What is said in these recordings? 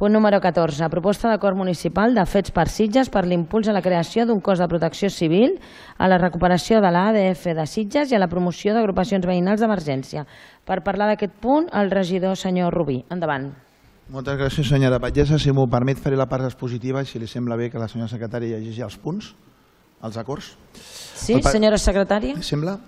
Punt número 14. Proposta d'acord municipal de Fets per Sitges per l'impuls a la creació d'un cos de protecció civil, a la recuperació de l'ADF de Sitges i a la promoció d'agrupacions veïnals d'emergència. Per parlar d'aquest punt, el regidor senyor Rubí. Endavant. Moltes gràcies, senyora Batllessa. Si m'ho permet, faré la part expositiva i si li sembla bé que la senyora secretària llegeixi els punts, els acords. Sí, senyora secretària? Sembla?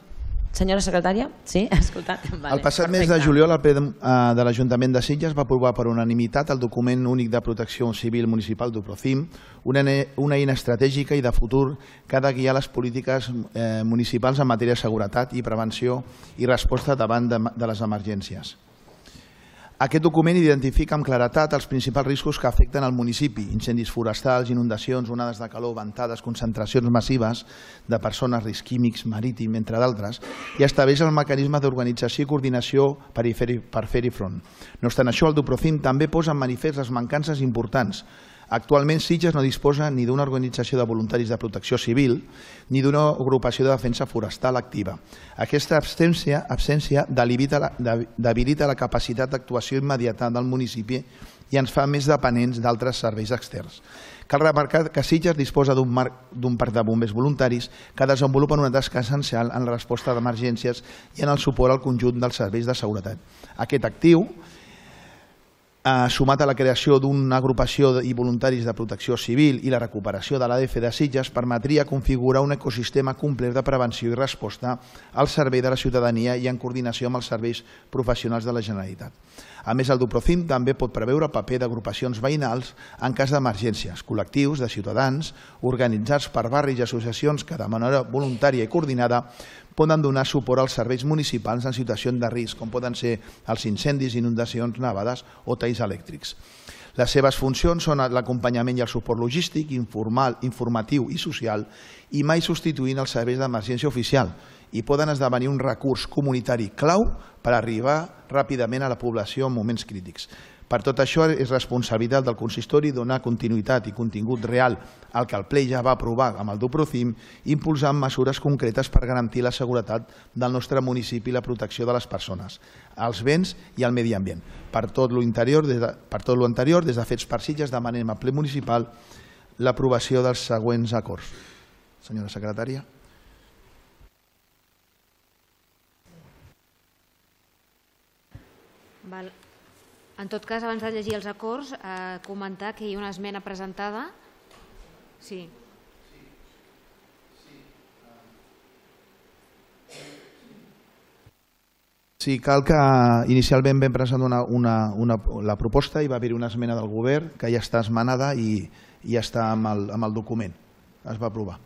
Senyora secretària? Sí, escolta. El passat mes de juliol, el ple de l'Ajuntament de Sitges va aprovar per unanimitat el document únic de protecció civil municipal d'UPROCIM, una eina estratègica i de futur que ha de guiar les polítiques municipals en matèria de seguretat i prevenció i resposta davant de les emergències. Aquest document identifica amb claretat els principals riscos que afecten al municipi: incendis forestals, inundacions, onades de calor, ventades, concentracions massives de persones, risc químics, marítim, entre d'altres, i estableix el mecanisme d'organització i coordinació per fer-hi front. No obstant això, el DUPROCIM també posa en manifest les mancances importants. Actualment, Sitges no disposa ni d'una organització de voluntaris de protecció civil ni d'una agrupació de defensa forestal activa. Aquesta absència debilita la capacitat d'actuació immediata del municipi i ens fa més dependents d'altres serveis externs. Cal remarcar que Sitges disposa d'un parc de bombers voluntaris que desenvolupen una tasca essencial en la resposta d'emergències i en el suport al conjunt dels serveis de seguretat. Aquest actiu, sumat a la creació d'una agrupació i voluntaris de protecció civil i la recuperació de l'ADF de Sitges, permetria configurar un ecosistema complet de prevenció i resposta al servei de la ciutadania i en coordinació amb els serveis professionals de la Generalitat. A més, el DUPROCIM també pot preveure el paper d'agrupacions veïnals en cas d'emergències, col·lectius de ciutadans organitzats per barris i associacions que de manera voluntària i coordinada poden donar suport als serveis municipals en situacions de risc, com poden ser els incendis, inundacions, nevades o talls elèctrics. Les seves funcions són l'acompanyament i el suport logístic, informal, informatiu i social, i mai substituint els serveis d'emergència oficial, i poden esdevenir un recurs comunitari clau per arribar ràpidament a la població en moments crítics. Per tot això, és responsabilitat del consistori donar continuïtat i contingut real al que el ple ja va aprovar amb el DUPROCIM, impulsant mesures concretes per garantir la seguretat del nostre municipi i la protecció de les persones, els béns i el medi ambient. Per tot l'anterior, des de Fets per Sitges, demanem al ple municipal l'aprovació dels següents acords. Senyora secretària. En tot cas, abans de llegir els acords, comentar que hi ha una esmena presentada. Sí. Sí, cal que inicialment vam presentar la proposta i va haver-hi una esmena del govern que ja està esmenada i ja està amb el document. Es va aprovar.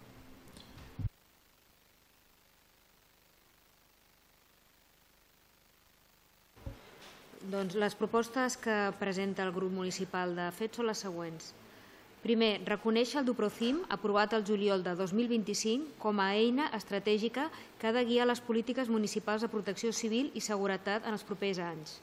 Doncs les propostes que presenta el grup municipal de FET són les següents. Primer, reconèixer el DUPROCIM, aprovat el juliol de 2025, com a eina estratègica que ha de guiar les polítiques municipals de protecció civil i seguretat en els propers anys.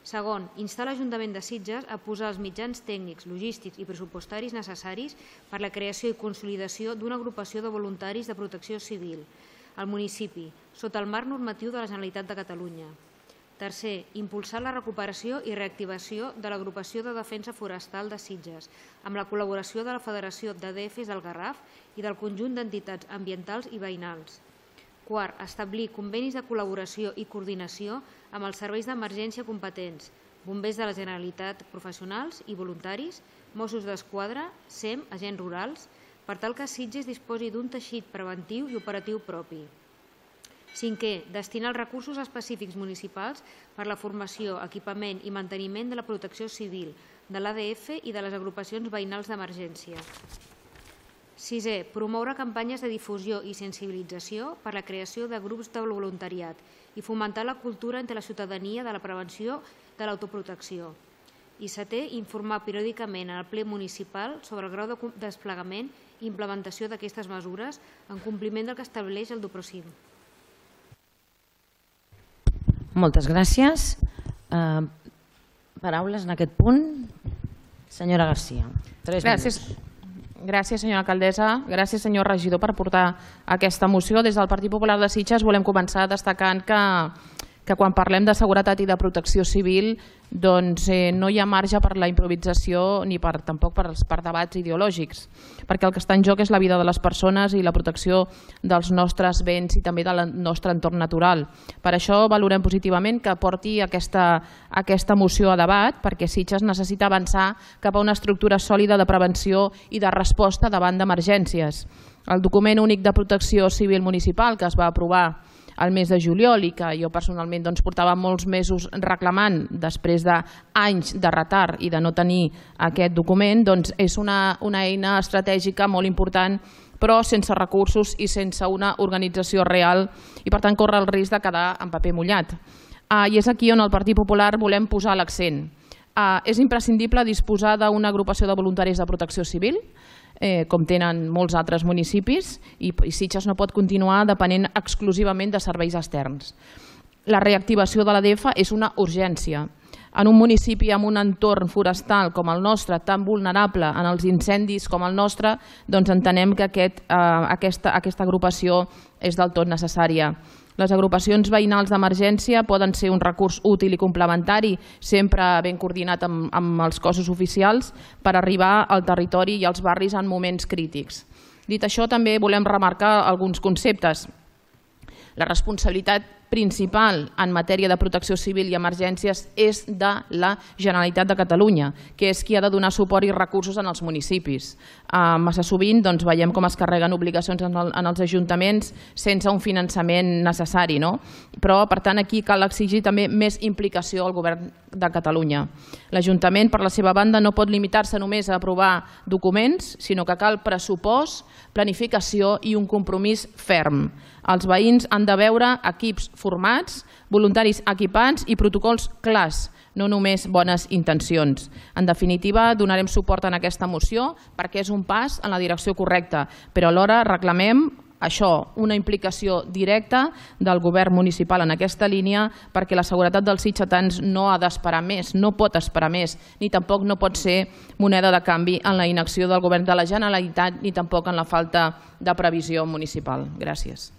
Segon, instar l'Ajuntament de Sitges a posar els mitjans tècnics, logístics i pressupostaris necessaris per la creació i consolidació d'una agrupació de voluntaris de protecció civil al municipi, sota el marc normatiu de la Generalitat de Catalunya. Tercer, impulsar la recuperació i reactivació de l'agrupació de defensa forestal de Sitges, amb la col·laboració de la Federació d'ADFs del Garraf i del conjunt d'entitats ambientals i veïnals. Quart, establir convenis de col·laboració i coordinació amb els serveis d'emergència competents, bombers de la Generalitat professionals i voluntaris, Mossos d'Esquadra, SEM, agents rurals, per tal que Sitges disposi d'un teixit preventiu i operatiu propi. Cinquè, destinar els recursos específics municipals per la formació, equipament i manteniment de la protecció civil, de l'ADF i de les agrupacions veïnals d'emergència. Sisè, promoure campanyes de difusió i sensibilització per la creació de grups de voluntariat i fomentar la cultura entre la ciutadania de la prevenció de l'autoprotecció. I setè, informar periòdicament al ple municipal sobre el grau de desplegament i implementació d'aquestes mesures en compliment del que estableix el DUPROCIM. Moltes gràcies. Paraules en aquest punt. Senyora Garcia. Gràcies, senyora alcaldessa. Gràcies, senyor regidor, per portar aquesta moció. Des del Partit Popular de Sitges volem començar destacant que que quan parlem de seguretat i de protecció civil doncs no hi ha marge per la improvisació ni tampoc per debats ideològics, perquè el que està en joc és la vida de les persones i la protecció dels nostres béns i també del nostre entorn natural. Per això valorem positivament que porti aquesta moció a debat, perquè Sitges necessita avançar cap a una estructura sòlida de prevenció i de resposta davant d'emergències. El document únic de protecció civil municipal que es va aprovar al mes de juliol i que jo personalment portava molts mesos reclamant després d'anys de retard i de no tenir aquest document, és una eina estratègica molt important, però sense recursos i sense una organització real i per tant corre el risc de quedar en paper mullat. I és aquí on el Partit Popular volem posar l'accent. És imprescindible disposar d'una agrupació de voluntaris de protecció civil, com tenen molts altres municipis, i Sitges no pot continuar depenent exclusivament de serveis externs. La reactivació de l'ADF és una urgència. En un municipi amb un entorn forestal com el nostre, tan vulnerable en els incendis com el nostre, doncs entenem que aquesta agrupació és del tot necessària. Les agrupacions veïnals d'emergència poden ser un recurs útil i complementari, sempre ben coordinat amb els cossos oficials, per arribar al territori i als barris en moments crítics. Dit això, també volem remarcar alguns conceptes. La responsabilitat principal en matèria de protecció civil i emergències és de la Generalitat de Catalunya, que és qui ha de donar suport i recursos en els municipis. Massa sovint veiem com es carreguen obligacions en els ajuntaments sense un finançament necessari, però per tant aquí cal exigir també més implicació al Govern de Catalunya. L'Ajuntament, per la seva banda, no pot limitar-se només a aprovar documents, sinó que cal pressupost, planificació i un compromís ferm. Els veïns han de veure equips formats, voluntaris equipats i protocols clars, no només bones intencions. En definitiva, donarem suport a aquesta moció perquè és un pas en la direcció correcta, però alhora reclamem això, una implicació directa del govern municipal en aquesta línia, perquè la seguretat dels sitgetans no ha d'esperar més, no pot esperar més, ni tampoc no pot ser moneda de canvi en la inacció del govern de la Generalitat ni tampoc en la falta de previsió municipal. Gràcies.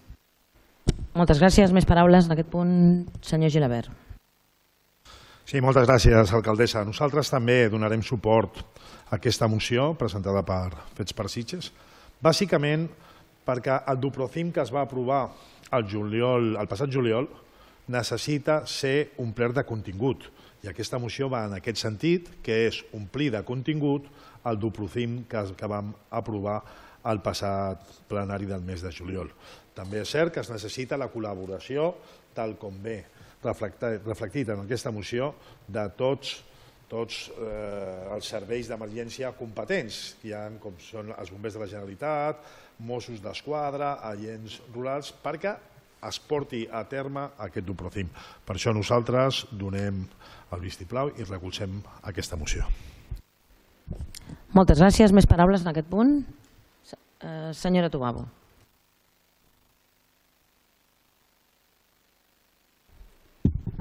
Moltes gràcies. Més paraules en aquest punt, senyor Gilabert. Sí, moltes gràcies, alcaldessa. Nosaltres també donarem suport a aquesta moció presentada per Fets per Sitges, bàsicament perquè el Duprocim que es va aprovar el passat juliol necessita ser omplert de contingut i aquesta moció va en aquest sentit, que és omplir de contingut el Duprocim que vam aprovar al passat plenari del mes de juliol. També és cert que es necessita la col·laboració, tal com ve reflectit en aquesta moció, de tots els serveis d'emergència competents, com són els bombers de la Generalitat, Mossos d'Esquadra, agents rurals, perquè es porti a terme aquest Duprocim. Per això nosaltres donem el vistiplau i recolzem aquesta moció. Moltes gràcies. Més paraules en aquest punt? Senyora Tubabo.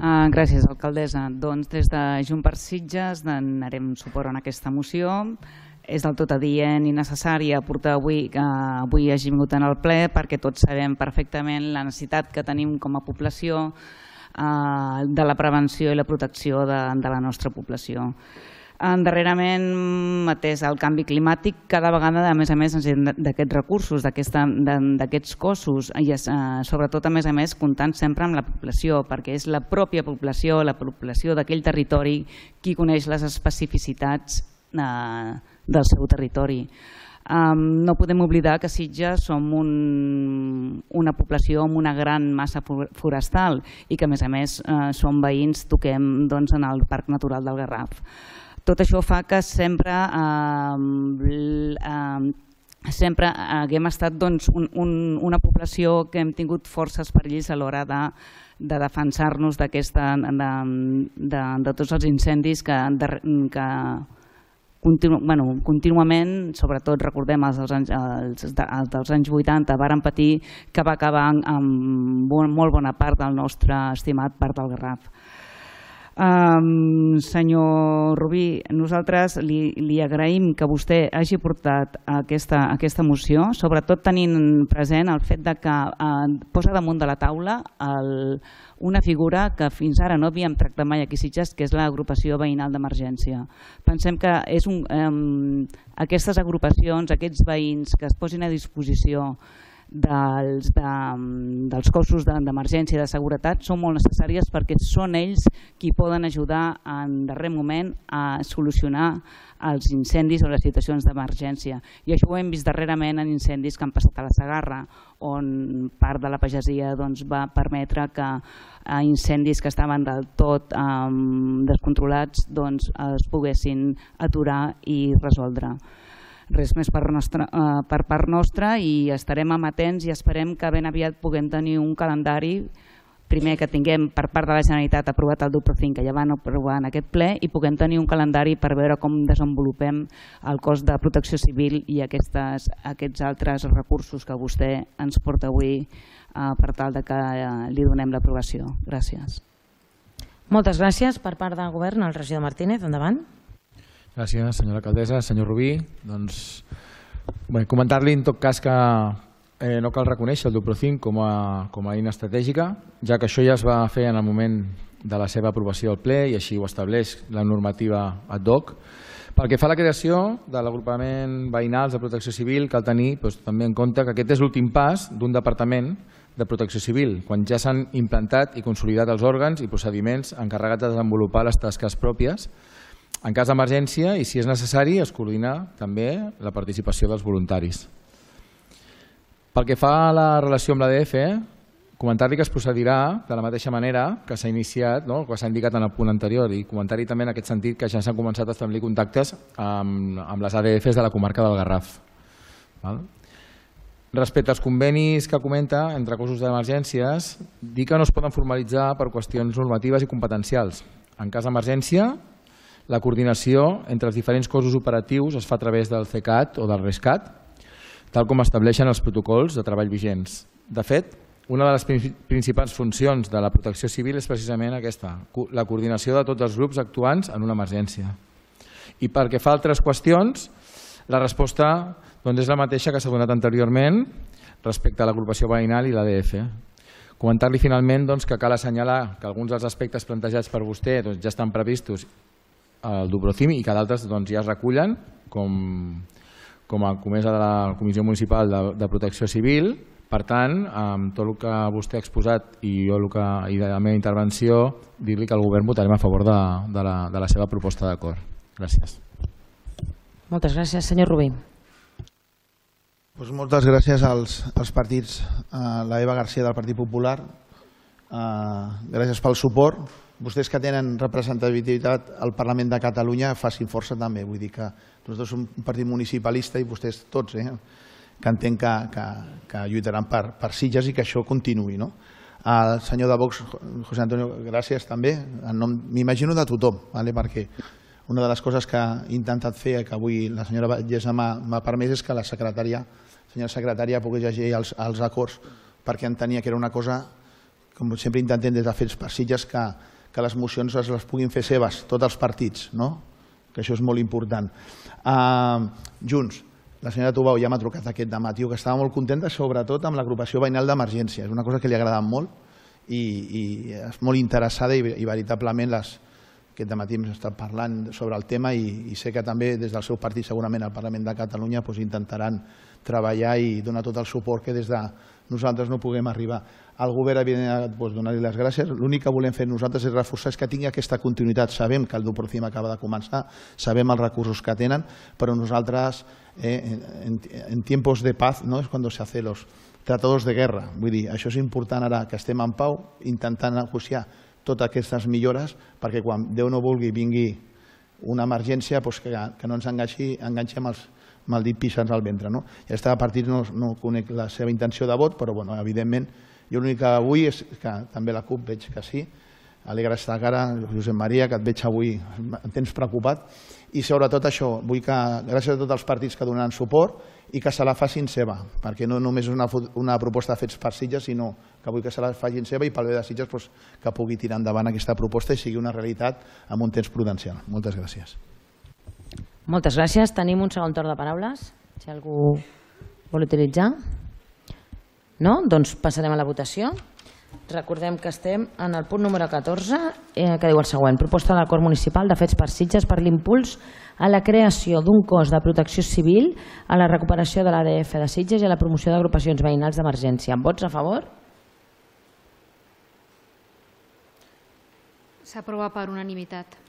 Gràcies, alcaldessa. Doncs des de Junts per Sitges donarem suport a aquesta moció. És del tot adient i necessari aportar avui que avui hagi vingut en el ple perquè tots sabem perfectament la necessitat que tenim com a població de la prevenció i la protecció de la nostra població. Darrerament, atès el canvi climàtic, cada vegada, a més, necessitem d'aquests recursos, d'aquests cossos, i sobretot, a més, comptant sempre amb la població, perquè és la pròpia població, la població d'aquell territori, qui coneix les especificitats del seu territori. No podem oblidar que Sitges som una població amb una gran massa forestal i que, a més, som veïns, toquem en el Parc Natural del Garraf. Tot això fa que sempre haguem estat una població que hem tingut forces perills a l'hora de defensar-nos de tots els incendis que contínuament, sobretot recordem els dels anys 80, varen patir, que va acabar amb molt bona part del nostre estimat Parc del Garraf. Senyor Rubí, nosaltres li agraïm que vostè hagi portat aquesta moció, sobretot tenint present el fet que posa damunt de la taula una figura que fins ara no havíem tractat mai aquí a Sitges, que és l'agrupació veïnal d'emergència. Pensem que aquestes agrupacions, aquests veïns que es posin a disposició dels cossos d'emergència i de seguretat són molt necessàries perquè són ells qui poden ajudar en darrer moment a solucionar els incendis o les situacions d'emergència. I això ho hem vist darrerament en incendis que han passat a la Segarra, on part de la pagesia va permetre que incendis que estaven del tot descontrolats es poguessin aturar i resoldre. Res més per part nostra i estarem amatents i esperem que ben aviat puguem tenir un calendari, primer que tinguem per part de la Generalitat aprovat el Duprocim, que ja van aprovar en aquest ple, i puguem tenir un calendari per veure com desenvolupem el cos de protecció civil i aquests altres recursos que vostè ens porta avui per tal que li donem l'aprovació. Gràcies. Moltes gràcies. Per part del Govern, el regidor Martínez, endavant. Gràcies, senyora alcaldessa. Senyor Rubí, comentar-li en tot cas que no cal reconèixer el Duprocim com a eina estratègica, ja que això ja es va fer en el moment de la seva aprovació al ple i així ho estableix la normativa ad hoc. Pel que fa a la creació de l'agrupament veïnals de protecció civil, cal tenir també en compte que aquest és l'últim pas d'un departament de protecció civil, quan ja s'han implantat i consolidat els òrgans i procediments encarregats de desenvolupar les tasques pròpies. En cas d'emergència i si és necessari es coordina també la participació dels voluntaris. Pel que fa a la relació amb l'ADF, comentar-li que es procedirà de la mateixa manera que s'ha iniciat, que s'ha indicat en el punt anterior, i comentar-hi també en aquest sentit que ja s'han començat a establir contactes amb les ADFs de la comarca del Garraf. Respecte als convenis que comenta entre cossos d'emergències, dir que no es poden formalitzar per qüestions normatives i competencials. En cas d'emergència, la coordinació entre els diferents cossos operatius es fa a través del CECAT o del RESCAT, tal com estableixen els protocols de treball vigents. De fet, una de les principals funcions de la protecció civil és precisament aquesta, la coordinació de tots els grups actuants en una emergència. I pel que fa a altres qüestions, la resposta és la mateixa que s'ha donat anteriorment respecte a l'agrupació veïnal i l'ADF. Comentar-li finalment que cal assenyalar que alguns dels aspectes plantejats per vostè ja estan previstos al Duprocim i que d'altres ja es recullen com a comesa de la Comissió Municipal de Protecció Civil. Per tant, amb tot el que vostè ha exposat i de la meva intervenció, dir-li que el Govern votarem a favor de la seva proposta d'acord. Gràcies. Moltes gràcies. Senyor Rubí. Moltes gràcies als partits, a la Eva García del Partit Popular, gràcies pel suport. Vostès que tenen representativitat al Parlament de Catalunya facin força també, vull dir que nosaltres som un partit municipalista i vostès tots, que entenc que lluitaran per Sitges i que això continuï. Al senyor de Vox, José Antonio, gràcies també, m'imagino de tothom, perquè una de les coses que he intentat fer, que avui la senyora Vallesa m'ha permès, és que la senyora secretària pogués llegir els acords, perquè entenia que era una cosa, com sempre intentem des de Fets per Sitges, que les mocions les puguin fer seves, tots els partits, que això és molt important. Junts, la senyora Tubau ja m'ha trucat aquest dematí, que estava molt contenta, sobretot amb l'agrupació veïnal d'emergència. És una cosa que li ha agradat molt i és molt interessada i veritablement aquest dematí hem estat parlant sobre el tema i sé que també des del seu partit, segurament al Parlament de Catalunya, intentaran treballar i donar tot el suport que des de nosaltres no puguem arribar. Al govern, evidentment, donar-li les gràcies. L'únic que volem fer nosaltres és reforçar que tingui aquesta continuïtat. Sabem que el Duprocim acaba de començar, sabem els recursos que tenen, però nosaltres, en tiempos de paz, es quan se hacen los tratados de guerra. Vull dir, això és important ara que estem en pau, intentant negociar totes aquestes millores, perquè quan Déu no vulgui vingui una emergència, que no ens enganxem amb el dit pixant al ventre. I aquest partit no conec la seva intenció de vot, però evidentment jo l'únic que vull és que també la CUP veig que sí, Alegra estar cara, Josep Maria, que et veig avui, em tens preocupat. I sobretot això, vull que, gràcies a tots els partits que donaran suport, i que se la facin seva, perquè no només és una proposta de Fets per Sitges, sinó que vull que se la facin seva i pel bé de Sitges que pugui tirar endavant aquesta proposta i sigui una realitat amb un temps prudencial. Moltes gràcies. Moltes gràcies. Tenim un segon torn de paraules, si algú vol utilitzar. No? Doncs passarem a la votació. Recordem que estem en el punt número 14, que diu el següent: proposta de l'acord municipal de Fets per Sitges per l'impuls a la creació d'un cos de protecció civil, a la recuperació de l'ADF de Sitges i a la promoció d'agrupacions veïnals d'emergència. Vots a favor? S'aprova per unanimitat.